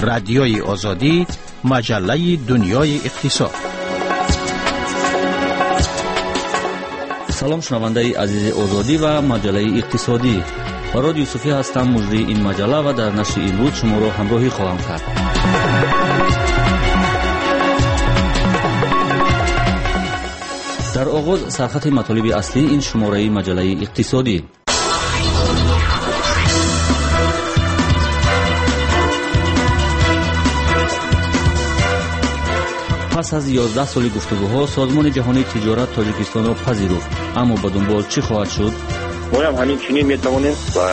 Радиои Озодӣ, маҷаллаи дунёи иқтисод. Салом, шунавандаи азизи Озодӣ ва маҷаллаи иқтисодӣ. Фарод Юсуфӣ ҳастам, муҷрии ин маҷалла ва дар нашри имрӯз шуморо ҳамроҳӣ хоҳам кард. Дар оғоз сархати матолиби аслии ин шумораи маҷаллаи иқтисодӣ. Пас аз 11 соли гуфтугӯҳо Созмони ҷаҳонии тиҷорат Тоҷикистонро пазируфт, аммо ба дунбол чӣ хоҳад шуд? Моям ҳамин чунин метавонем ва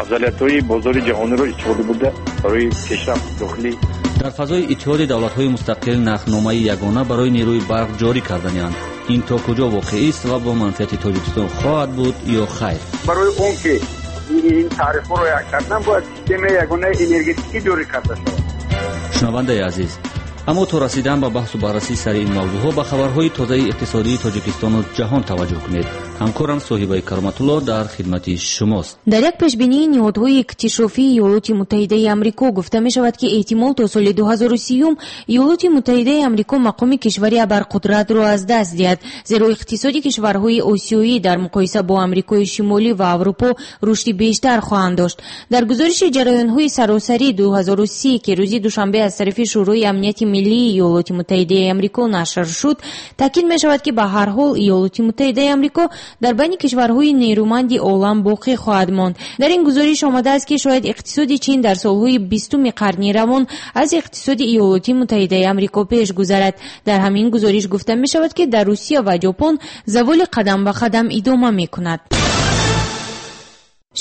афзалиятҳои бозори ҷаҳониро истифода бурда барои пешрафти дохилӣ. Дар фазои Иттиҳоди давлатҳои мустақил нархномаи ягона барои нерӯи барқ ҷорӣ карданианд. Ин то куҷо воқеист ва бо манфиати Тоҷикистон хоҳад буд ё хайр? Барои он ки ин тарифҳоро як кардан, бояд системаи ягонаи энергетикӣ ҷорӣ карда шавад. Шунавандаи азиз, аммо то расидан ба баҳсу баррасӣ сари ин мавзӯъҳо ба хабарҳои тозаи иқтисодии Тоҷикистону ҷаҳон таваҷҷӯҳ кунед. Ҳамкорам Соҳибаи Кароматулло дар хидмати шумост. Дар як пешбинии ниҳодҳои иктишофии Иёлоти Муттаҳидаи Амрико гуфта мешавад, ки эҳтимол то соли 2030 Иёлоти Муттаҳидаи Амрико мақоми кишвари абарқудратро аз даст диҳад, зеро иқтисоди кишварҳои осиёӣ дар муқоиса бо Амрикои Шимолӣ ва Аврупо рушди бештар хоҳанд дошт. Дар гузориши ҷараёнҳои саросарӣ 2030, ки рӯзи душанбе аз тарафи Шӯрои амнияти миллии Иёлоти Муттаҳидаи Амрико нашр шуд, таъкид мешавад, ки ба ҳар ҳол Иёлоти Муттаҳидаи Амрико дар байни кишварҳои нерӯманди олам боқӣ хоҳад монд. Дар ин гузориш омадааст, ки шояд иқтисоди Чин дар солҳои 20-уми қарни равон аз иқтисоди Иёлоти Муттаҳидаи Амрико пеш гузарад. Дар ҳамин гузориш гуфта мешавад, ки дар Русия ва Ҷопон заволи қадам ба қадам идома мекунад.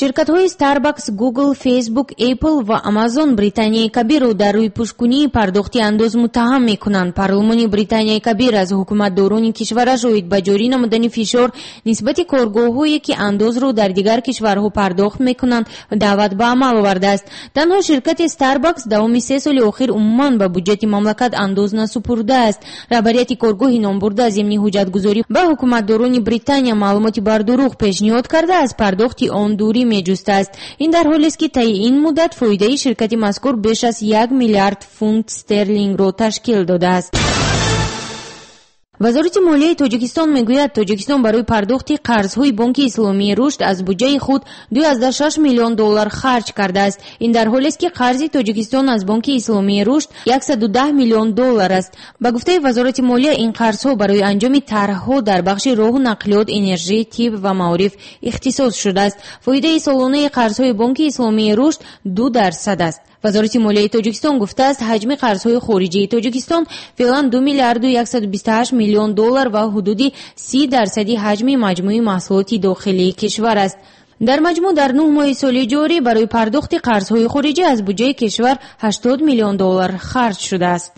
Ширкатҳои Starbucks, Google, Facebook, Apple ва Amazon Британияи Кабирро дар рӯйпӯшкунии пардохти андоз муттаҳам мекунанд. Парлумони Британияи Кабир аз ҳукуматдорони кишвараш оид ба ҷорӣ намудани фишор нисбати коргоҳҳое, ки андозро дар дигар кишварҳо пардохт мекунанд, даъват ба амал овардааст. Танҳо ширкати Starbucks давоми 3 соли охир умуман ба буҷети мамлакат андоз насупурдааст. Раҳбарияти коргоҳи номбурда зимни ҳуҷҷатгузорӣ ба ҳукуматдорони Британия маълумоти бардурӯғ пешниҳод карда, аз пардохти он дурӣ меҷустааст. Ин дар ҳолест, ки таи ин муддат фоидаи ширкати мазкур беш аз 1 миллиард фунт стерлингро ташкил додааст. Вазорати молияи Тоҷикистон мегӯяд, Тоҷикистон барои пардохти қарзҳои Бонки Исломии Рушд аз буҷаи худ 2,6 миллион доллар харҷ кардааст. Ин дар ҳолест, ки қарзи Тоҷикистон аз Бонки Исломии Рушд 110 миллион доллар аст. Ба гуфтаи Вазорати молия, ин қарзҳо барои анҷоми тарҳҳо дар бахши роҳу нақлиёт, энержӣ, тиб ва маориф ихтисос шудааст. Фоидаи солонаи қарзҳои Бонки Исломии Рушд 2% аст. Вазорати молияи Тоҷикистон гуфтааст, ҳаҷми қарзҳои хориҷии Тоҷикистон феълан 2 миллиарду 128 миллион доллар ва ҳудуди 30% ҳаҷми маҷмӯи маҳсулоти дохилии кишвар аст. Дар маҷмӯъ дар 9 моҳи соли ҷорӣ барои пардохти қарзҳои хориҷӣ аз буҷаи кишвар 80 миллион доллар харҷ шудааст.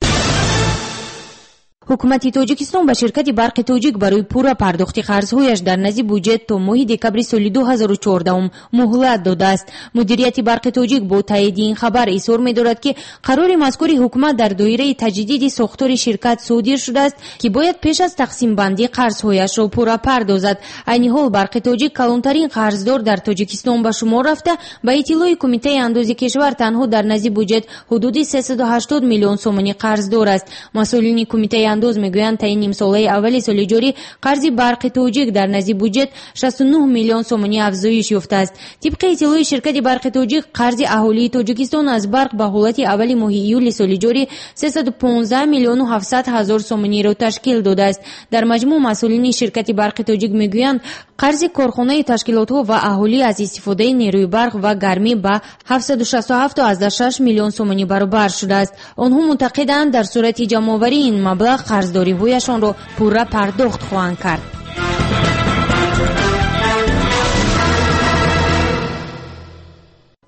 Ҳукумати Тоҷикистон ба ширкати Барқи Тоҷик барои пурра пардохти қарзҳояш дар назди буҷет то моҳи декабри соли 2014 муҳлат додааст. Мудирияти Барқи Тоҷик бо таъйиди ин хабар изҳор медорад, ки қарори мазкури ҳукумат дар доираи таҷдиди сохтори ширкат содир шудааст, ки бояд пеш аз тақсимбандӣ қарзҳояшро пурра пардозад. Айни ҳол Барқи Тоҷик калонтарин қарздор дар Тоҷикистон ба шумор рафта, ба иттилои Кумитаи андози кишвар танҳо дар назди буҷет ҳудуди 380 миллион сомонӣ қарздор аст. Масъулини Кумитаи андоз мегӯянд, таи нимсолаи аввали соли ҷорӣ қарзи Барқи Тоҷик дар назди буҷет 69 миллион сомонӣ афзоиш ёфтааст. Тибқи иттилои ширкати Барқи Тоҷик, қарзи аҳолии Тоҷикистон аз барқ ба ҳолати аввали моҳи июли соли ҷорӣ 315 миллиону 700 ҳазор сомониро ташкил додааст. Дар маҷмӯъ масъулини ширкати Барқи Тоҷик мегӯянд, қарзи корхонаи ташкилотҳо ва аҳолӣ аз истифодаи нерӯи барқ ва гармӣ ба 767,6 миллион сомонӣ баробар шудааст. Онҳо мутақиданд, дар сурати ҷамъоварии ин маблағ қарздориҳояшонро пурра пардохт хоҳанд кард.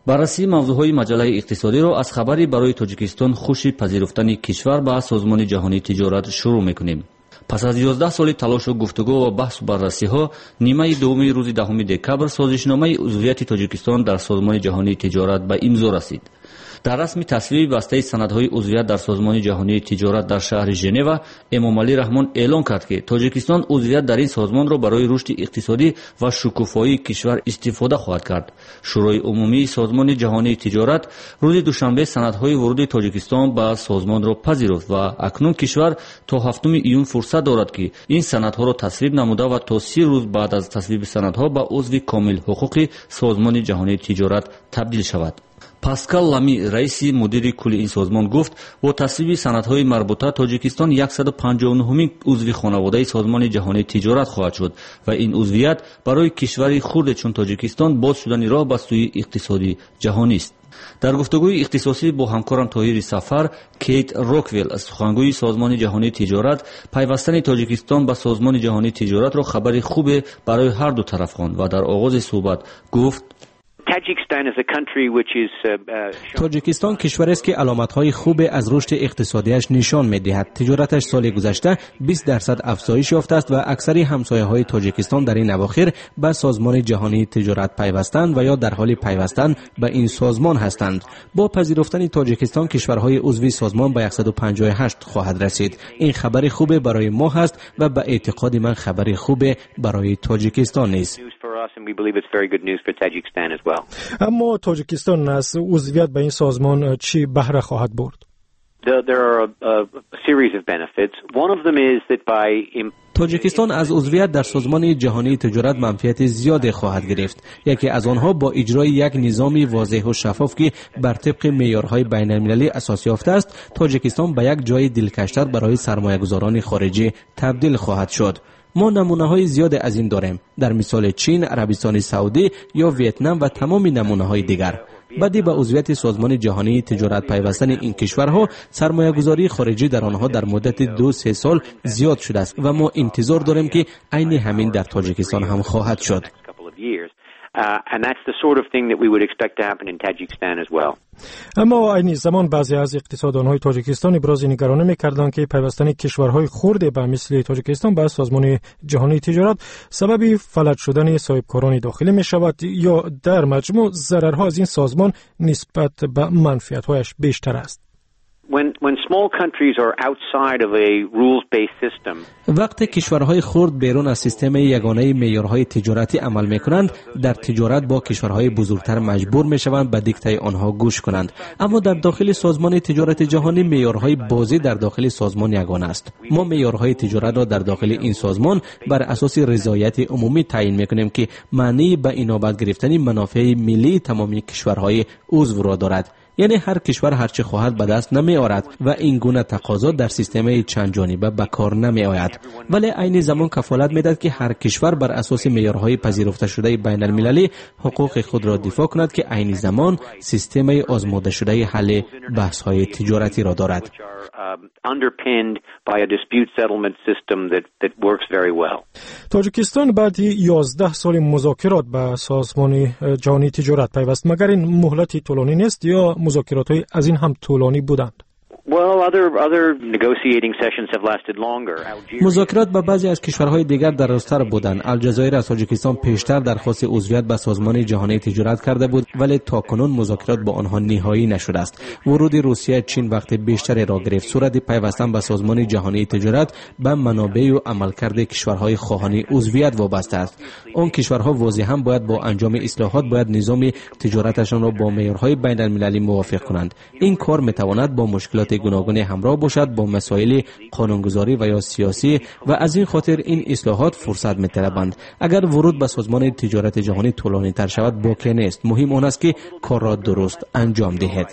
Баррасии мавзӯъҳои маҷаллаи иқтисодиро аз хабари барои Тоҷикистон хуши пазируфтани кишвар ба Созмони ҷаҳонии тиҷорат шурӯъ мекунем. Пас аз 11 соли талошу гуфтугӯ ва баҳсу баррасиҳо, нимаи дуввуми рӯзи 10 декабр созишномаи узвияти Тоҷикистон дар Созмони ҷаҳонии тиҷорат ба имзо расид. Дар расми тасвиби бастаи санадҳои узвият дар Созмони ҷаҳонии тиҷорат дар шаҳри Женева Эмомалӣ Раҳмон эълон кард, ки Тоҷикистон узвият дар ин созмонро барои рушди иқтисодӣ ва шукуфоии кишвар истифода хоҳад кард. Шӯрои умумии Созмони ҷаҳонии тиҷорат рӯзи душанбе санадҳои вуруди Тоҷикистон ба созмонро пазируфт ва акнун кишвар то 7 июн фурсат дорад, ки ин санадҳоро тасвиб намуда ва то 30 рӯз баъд аз тасвиби санадҳо ба узви комилҳуқуқи Созмони ҷаҳонии тиҷорат табдил шавад. Паскал Лами, раиси мудири кулли ин созмон, гуфт, бо тасвиби санадҳои марбута Тоҷикистон 159-умин узви хонаводаи Созмони ҷаҳонии тиҷорат хоҳад шуд ва ин узвият барои кишвари хурде чун Тоҷикистон боз шудани роҳ ба сӯи иқтисоди ҷаҳонист. Дар гуфтугӯи ихтисосӣ бо ҳамкорам Тоҳири Сафар, Кейт Роквелл, сухангӯи Созмони ҷаҳонии тиҷорат, пайвастани Тоҷикистон ба Созмони ҷаҳонии тиҷоратро хабари хубе барои ҳар ду тараф хонд ва дар оғози суҳбат гуфт: Тоҷикистон кишварест, ки аломатҳои хубе аз рушди иқтисодиаш нишон медиҳад. Тиҷораташ соли гузашта 20% афзоиш ёфтааст ва аксари ҳамсояҳои Тоҷикистон дар ин авохир ба Созмони ҷаҳонии тиҷорат пайвастанд ва ё дар ҳоли пайвастан ба ин созмон ҳастанд. Бо пазируфтани Тоҷикистон кишварҳои узви созмон ба 158 хоҳад расид. Ин хабари хубе барои мо ҳаст ва ба эътиқоди ман хабари хубе барои Тоҷикистон низ. Аммо Тоҷикистон аз узвият ба ин созмон чӣ баҳра хоҳад бурд? Тоҷикистон аз узвият дар Созмони ҷаҳонии тиҷорат манфиати зиёде хоҳад гирифт. Яке аз онҳо бо иҷрои як низоми возеҳу шаффоф, ки бар тибқи меъёрҳои байналмилалӣ асос ёфтааст, Тоҷикистон ба як ҷои дилкаштар барои сармоягузорони хориҷӣ табдил хоҳад шуд. Мо намунаҳои зиёде аз ин дорем, дар мисоли Чин, Арабистони Саудӣ ё Вьетнам ва тамоми намунаҳои дигар. Баъди ба узвияти Созмони ҷаҳонии тиҷорат пайвастани ин кишварҳо, сармоягузории хориҷӣ дар онҳо дар муддати 2-3 сол зиёд шудааст ва мо интизор дорем, ки айни ҳамин дар Тоҷикистон ҳам хоҳад шуд. Аммо айни замон баъзе аз иқтисоддонҳои Тоҷикистон ибрози нигаронӣ мекарданд, ки пайвастани кишварҳои хурде ба мисли Тоҷикистон ба Созмони ҷаҳонии тиҷорат сабаби фалаҷ шудани соҳибкорони дохилӣ мешавад ё дар маҷмӯъ зарарҳо аз ин созмон нисбат ба манфиатҳояш бештар аст. Вақте кишварҳои хурд берун аз системаи ягонаи меъёрҳои тиҷоратӣ амал мекунанд, дар тиҷорат бо кишварҳои бузургтар маҷбур мешаванд ба диктаи онҳо гӯш кунанд. Аммо дар дохили Созмони тиҷорати ҷаҳонӣ меъёрҳои бозӣ дар дохили созмон ягона аст. Мо меъёрҳои тиҷоратро дар дохили ин созмон бар асоси ризояти умумӣ таъин мекунем, ки маънии ба инобат гирифтани манофеи миллии тамоми кишварҳои узвро дорад. Яъне ҳар кишвар ҳарчи хоҳад ба даст намеорад ва ин гуна тақозо дар системаи чандҷониба ба кор намеояд. Вале айни замон кафолат медиҳад, ки ҳар кишвар бар асоси меъёрҳои пазируфташудаи байналмилалӣ ҳуқуқи худро дифоъ кунад, ки айни замон системаи озмудашудаи ҳалли баҳсҳои тиҷоратиро дорад. Тоҷикистон баъди 11 соли музокирот ба Созмони ҷаҳонии тиҷорат пайваст. Магар ин муҳлати тӯлонӣ нест ё музокиротҳои аз ин ҳам тӯлонӣ буданд? Музокирот ба баъзе аз кишварҳои дигар дарозтар буданд. Алҷазоир аз Тоҷикистон пештар дархости узвият ба Созмони ҷаҳонии тиҷорат карда буд, вале то кунун музокирот бо онҳо ниҳоӣ нашудааст. Вуруди Русия, Чин вақти бештареро гирифт. Сурати пайвастан ба Созмони ҷаҳонии тиҷорат ба манобеъу амалкарди кишварҳои хоҳони узвият вобаста аст. Он кишварҳо возеҳан бояд бо анҷоми ислоҳот бояд низоми тиҷораташонро бо меъёрҳои байналмилалӣ мувофиқ кунанд. Ин кор метавонад бо мушкилоти гуногуне ҳамроҳ бошад, бо масоили қонунгузорӣ ва ё сиёсӣ, ва аз ин хотир ин ислоҳот фурсат металабанд. Агар вуруд ба Созмони тиҷорати ҷаҳонӣ тӯлонитар шавад, боке нест. Муҳим он аст, ки корро дуруст анҷом диҳед.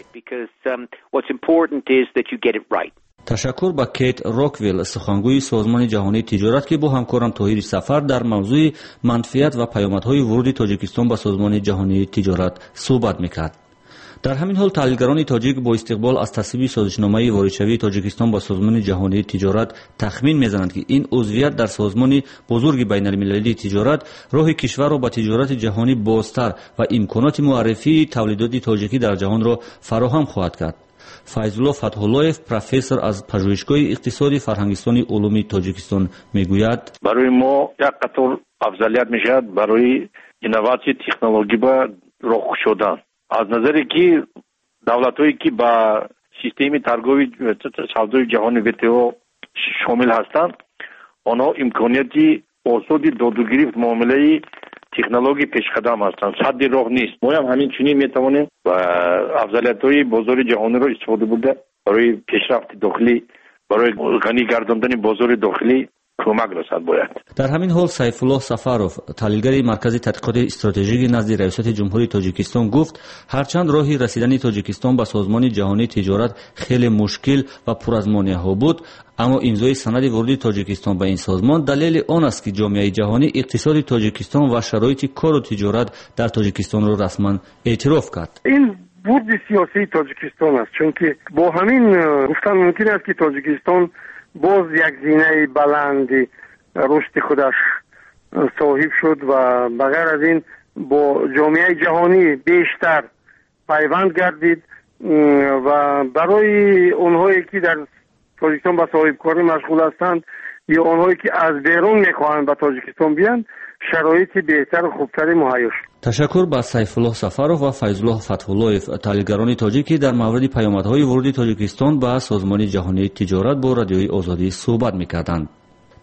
Ташаккур ба Кейт Роквелл, сухангӯи Созмони ҷаҳонии тиҷорат, ки бо ҳамкорам Тоҳири Сафар дар мавзӯи манфиат ва паёмадҳои вуруди Тоҷикистон ба Созмони ҷаҳонии тиҷорат суҳбат мекард. Дар ҳамин ҳол таҳлилгарони тоҷик бо истиқбол аз тасвиби созишномаи воридшавии Тоҷикистон ба Созмони ҷаҳонии тиҷорат тахмин мезананд, ки ин узвият дар созмони бузурги байналмилалии тиҷорат роҳи кишварро ба тиҷорати ҷаҳонӣ бозтар ва имконоти муаррифии тавлидоти тоҷикӣ дар ҷаҳонро фароҳам хоҳад кард. Файзулло Фатҳуллоев, профессор аз Пажӯҳишгоҳи иқтисоди Фарҳангистони улуми Тоҷикистон, мегӯяд: барои мо як қатор афзалият мешавад барои инноватсияи технологӣ ба роҳ кушодан. Аз назаре ки Давлатҳое ки ба системаи торгови савдои ҷаҳони ВТО шомил ҳастанд, онҳо имконияти осоди додугирифт, муомилаи технологии пешқадам ҳастанд, садди роҳ нест. Моям ҳамин чунин метавонем афзалиятҳои бозори ҷаҳониро истифода бурда барои пешрафти дохилӣ, барои ғанӣ гардондани бозори дохилӣ кӯмак расад бояд. Дар ҳамин ҳол Сайфуллоҳ Сафаров, таҳлилгари Маркази тадқиқоти стратежикӣ назди Раёсати Ҷумҳурии Тоҷикистон гуфт, ҳарчанд роҳи расидани Тоҷикистон ба Созмони ҷаҳонии тиҷорат хеле мушкил ва пур аз монеаҳо буд, аммо имзои санади вуруди Тоҷикистон ба ин созмон далели он аст, ки ҷомеаи ҷаҳонӣ иқтисоди Тоҷикистон ва шароити кору тиҷорат дар Тоҷикистонро расман эътироф кард. Ин бурди сиёсии Тоҷикистон аст, чунки бо ҳамин гуфтан мумкин аст, ки Тоҷикистон боз як зинаи баланди рушди худаш соҳиб шуд ва ба ғайр аз ин бо ҷомеаи ҷаҳонӣ бештар пайванд гардид ва барои онҳое ки дар Тоҷикистон ба соҳибкорӣ машғул ҳастанд ё онҳое ки аз берун мехоҳанд ба Тоҷикистон биёянд, шароити беҳтару хубтаре муҳайё шуд. Ташаккур ба Сайфуллоҳ Сафаров ва Файзуллоҳ Фатҳуллоев, таҳлилгарони тоҷик, ки дар мавриди паёмадҳои вуруди Тоҷикистон ба Созмони ҷаҳонии тиҷорат бо Радиои Озодӣ суҳбат мекарданд.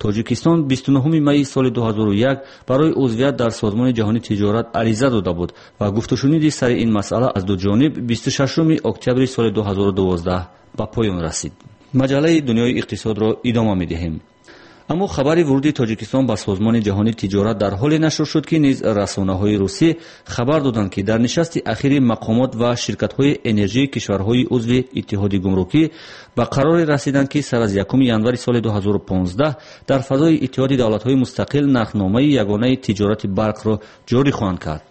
Тоҷикистон 29 майи соли 2001 барои узвият дар Созмони ҷаҳонии тиҷорат ариза дода буд ва гуфтушуниди сари ин масъала аз ду ҷониб 26 октябри соли 2012 ба поён расид. Маҷаллаи Дунёи иқтисодро идома медиҳем. Аммо хабари вуруди Тоҷикистон ба Созмони ҷаҳонии тиҷорат дар ҳоле нашр шуд, ки низ расонаҳои русӣ хабар доданд, ки дар нишасти ахири мақомот ва ширкатҳои энержии кишварҳои узви Иттиҳоди гумрукӣ ба қароре расиданд, ки сар аз 1 январи соли 2015 дар фазои Иттиҳоди давлатҳои мустақил нархномаи ягонаи тиҷорати барқро ҷорӣ хоҳанд кард.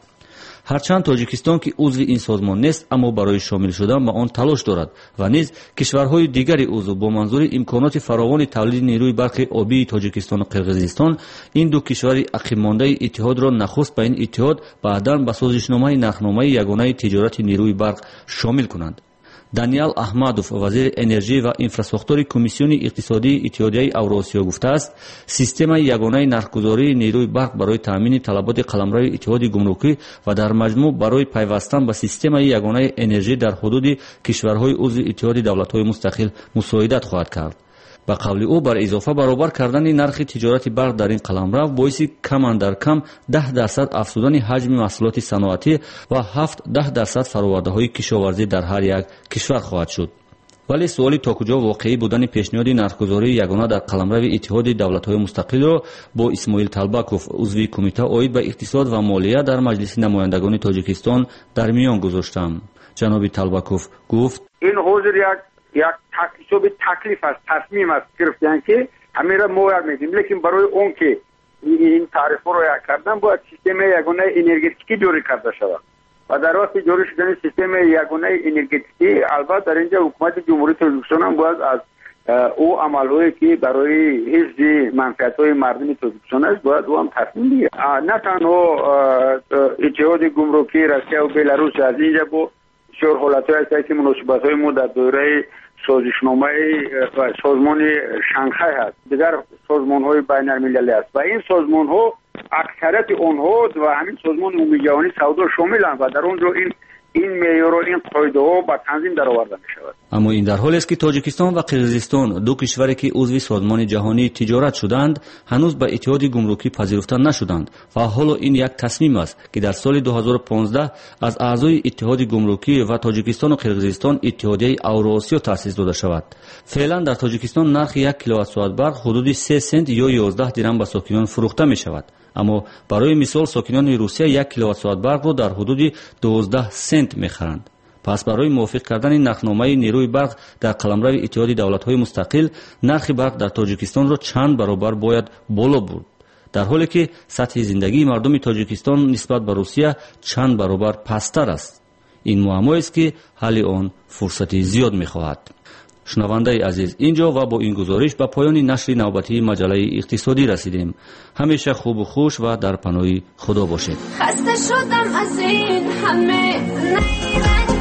Ҳарчанд Тоҷикистон, ки узви ин созмон нест, аммо барои шомил шудан ба он талош дорад ва низ кишварҳои дигари узв бо манзури имконоти фаровони тавлиди нерӯи барқи обии Тоҷикистону Қирғизистон ин ду кишвари ақибмондаи иттиҳодро нахуст ба ин иттиҳод, баъдан ба созишномаи нархномаи ягонаи тиҷорати нерӯи барқ шомил кунанд. Даниал Аҳмадов, вазири энержӣ ва инфрасохтори Комиссиони иқтисодии Иттиҳодияи Авроосиё гуфтааст, системаи ягонаи нархгузории нерӯи барқ барои таъмини талаботи қаламрави Иттиҳоди гумрукӣ ва дар маҷмӯъ барои пайвастан ба системаи ягонаи энержӣ дар ҳудуди кишварҳои узви Иттиҳоди давлатҳои мустақил мусоидат хоҳад кард. Ба қавли ӯ, бар изофа баробар кардани нархи тиҷорати барқ дар ин қаламрав боиси кам андар кам 10% афзудани ҳаҷми маҳсулоти саноатӣ ва 7-10% фаровардаҳои кишоварзӣ дар ҳар як кишвар хоҳад шуд. Вале суоли то куҷо воқеӣ будани пешниҳоди нархгузории ягона дар қаламрави Иттиҳоди давлатҳои мустақилро бо Исмоил Талбаков, узви кумита оид ба иқтисод ва молия дар Маҷлиси намояндагони Тоҷикистон дар миён гузоштам. Ҷаноби Талбаков гуфт: ин ҳозир як ҳисоби таклиф аст, тасмим аст гирифтан, ки ҳаминро мо як медиҳем, лекин барои он ки ин тарифҳоро як кардан бояд системаи ягонаи энергетикӣ ҷорӣ карда шавад ва дар вақти ҷорӣ шудани системаи ягонаи энергетикӣ албатта дар инҷа ҳукумати Ҷумҳурии Тоҷикистон ҳам бояд аз ӯ амалҳое ки барои ҳифзи манфиатҳои мардуми Тоҷикистон аст, бояд ӯ ҳам тасмим бигирад. На танҳо Иттиҳоди гумрукии Россия ва Беларус, аз инҷа бо бисёр ҳолатҳое ҳастанд, ки муносибатҳои мо дар доираи созишномаи созмони Шанхай ҳаст, дигар созмонҳои байналмилалӣ аст ва ин созмонҳо аксарияти онҳо ва ҳамин созмони умумиҷаҳонии савдо шомиланд ва дар он ҷо ин меъёрҳо, ин қоидаҳо ба танзим дароварда мешавад. Аммо ин дар ҳолест, ки Тоҷикистон ва Қирғизистон, ду кишваре ки узви Созмони ҷаҳонии тиҷорат шуданд, ҳанӯз ба Иттиҳоди гумрукӣ пазируфта нашуданд ва ҳоло ин як тасмим аст, ки дар соли 2015 аз аъзои Иттиҳоди гумрукӣ ва Тоҷикистону Қирғизистон Иттиҳодияи Авроосиё таъсис дода шавад. Феълан дар Тоҷикистон нархи 1 киловатт-соат барқ ҳудуди 3 сент ё 11 дирам ба сокинон фурӯхта мешавад. Аммо барои мисол сокинони Русия 1 киловатт-соат барқро дар ҳудуди 12 сент мехаранд. Пас барои мувофиқ кардани нархномаи нерӯи барқ дар қаламрави Иттиҳоди давлатҳои мустақил нархи барқ дар Тоҷикистонро чанд баробар бояд боло бурд, дар ҳоле ки сатҳи зиндагии мардуми Тоҷикистон нисбат ба Русия чанд баробар пасттар аст. Ин муаммоест, ки ҳалли он фурсати зиёд мехоҳад. Шунавандаи азиз, инҷо ва бо ин гузориш ба поёни нашри навбатии маҷаллаи иқтисодӣ расидем. Ҳамеша хубу хуш ва дар паноҳи Худо бошед. Хаста шудам аз ин ҳама.